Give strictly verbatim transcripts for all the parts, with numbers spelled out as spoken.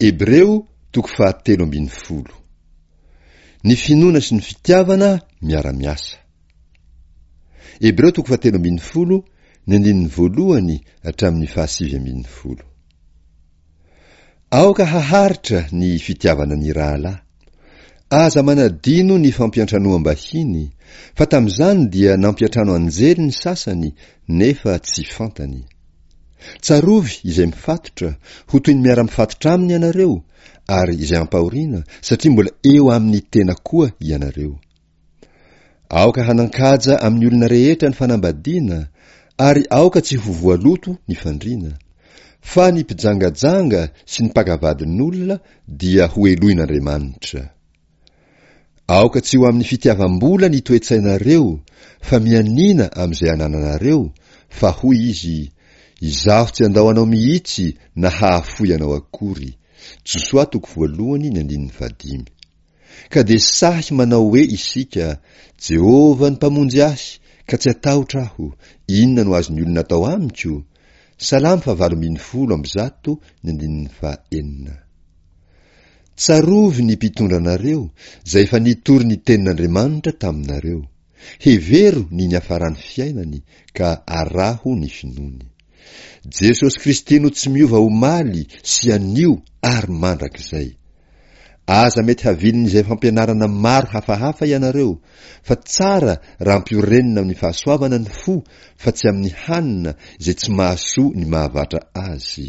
Hebreo toko fahatelo ambin'ny folo. Ny finoana sy ny fitiavana miara-miasa. Hebreo toko fahatelo ambin'ny folo, ny andininy voalohany hatramin'ny fahasivy ambin'ny folo. Aoka haharitra ny fitiavana ny rahalahy. Aza manadino ny fampiantranoam-bahiny, fa tamin'izany dia nampiantrano anjely ny sasany nefa tsy fantany. Tsarovy izay mifatotra, ho toy ny miara-mifatotra aminy ianareo, ary izay ampahoriana, satria mbola eo amin'ny tena koa ianareo. Aoka hanan-kaja amin'ny olona rehetra ny fanambadiana, ary aoka tsy ho voaloto ny fandriana. Fa ny mpijangajanga sy ny mpaka vadin'olona dia ho helohin'Andriamanitra. Aoka tsy ho amin'ny fitiavam-bola ny toe-tsainareo, fa mianiana amin'izay anananareo, fa hoy izy, Izaho tsy handao anao mihitsy na hahafoy anao akory. Josoa toko voalohany ny andininy fahadimy. Ka dia sahy manao hoe isika, Jehovah no Mpamonjy ahy, ka tsy hatahotra aho, inona no azon'ny olona atao amiko? Salamo fahavalo ambin'ny folo amby zato ny andininy fahenina. Tsarovy ny mpitondra anareo, izay efa nitory ny tenin'Andriamanitra taminareo. Hevero ny niafaran'ny fiainany, ka araho ny finoany. Jesosy Kristy no tsy miova omaly sy anio ary mandrakizay. Aza mety havilin'izay fampianarana maro hafahafa ianareo, fa tsara raha ampiorenina amin'ny fahasoavana ny fo fa tsy amin'ny hanina izay tsy mahasoa ny mahavatra azy.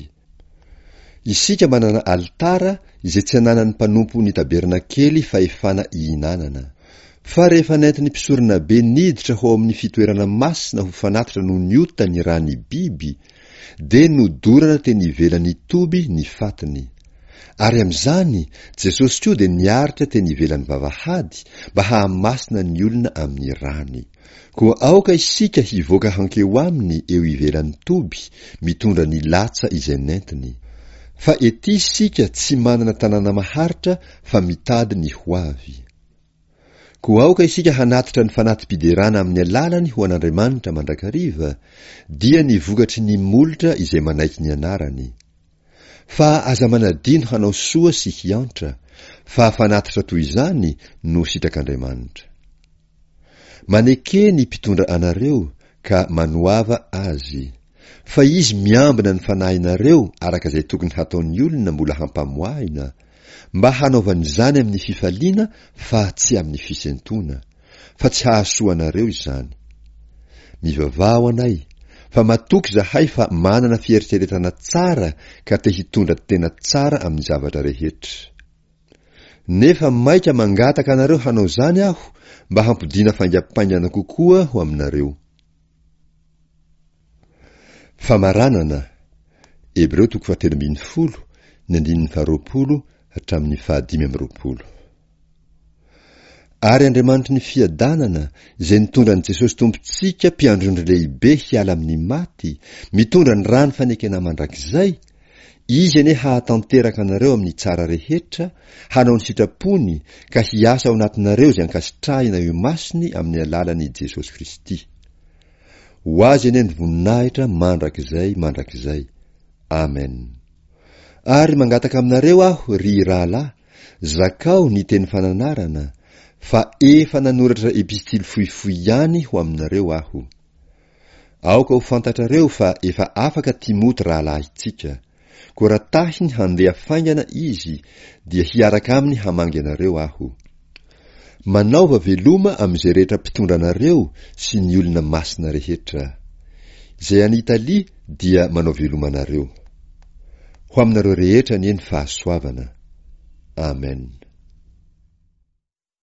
Isika manana alitara izay tsy ananan'ny mpanompo ny tabernakely fahefana ihinanana. Fa rehefa nentin'ny mpisoronabe niditra ho ao amin'ny fitoerana masina ho fanatitra noho ny ota ny ràn'ny biby, dia nodorana teny ivelan'ny toby ny fatiny. Ary amin'izany, Jesosy koa dia niaritra teny ivelan'ny vavahady mba hahamasina ny olona amin'ny ràny. Koa aoka isika hivoaka hankeo aminy eo ivelan'ny toby, mitondra ny latsa izay nentiny. Fa ety isika tsy manana tanàna maharitra fa mitady ny ho avy. Koa aoka isika hanatitra ny fanati-piderana amin'ny alalany ho an'Andriamanitra mandrakariva, dia ny vokatry ny molotra izay manaiky ny anarany. Fa aza manadino hanao soa sy hiantra, fa fanatitra toy izany no sitrak'Andriamanitra. Maneke ny mpitondra anareo ka manoava azy, fa izy miambina ny fanahinareo araka izay tokony hataon'ny olona mbola hampamoahina, mba hanaovany izany amin'ny fifaliana fa tsy amin'ny fisentoana, fa tsy hahasoa anareo izany. Mivavaha ho anay, fa matoky izahay fa manana fieritreretana tsara ka te hitondra tena tsara amin'ny zavatra rehetra. Nefa maika mangataka anareo hanao izany aho mba hampodiana faingampaingana kokoa ho aminareo. Famaranana, Hebreo toko fahatelo ambin'ny folo, ny andininy faharoapolo hatramin'ny fahadimy amby roapolo. Ary Andriamanitry ny fiadanana, izay nitondra an'i Jesosy Tompontsika mpiandry ondry lehibe hiala amin'ny maty, mitondra ny ràny fanekena mandrakizay, Izy anie hahatanteraka anareo amin'ny tsara rehetra, hanao ny sitrapony ka hiasa ao anatinareo izay ankasitrahina eo imasony amin'ny alalan'i Jesosy Kristy. Ho Azy anie ny voninahitra mandrakizay mandrakizay. Amen. Ary mangataka aminareo aho, ry rahalahy, zakao ny teny fananarana, fa efa nanoratra epistily fohifohy ihany ho aminareo aho. Aoka ho fantatrareo fa efa afaka Timoty rahalahintsika. Koa raha tahiny handeha faingana izy, dia hiaraka aminy hamangy anareo aho. Manaova veloma amin'izay rehetra mpitondra anareo sy ny olona masina rehetra. Izay any Italia dia manao veloma anareo. Ho aminareo rehetra anie ny fahasoavana. Amen.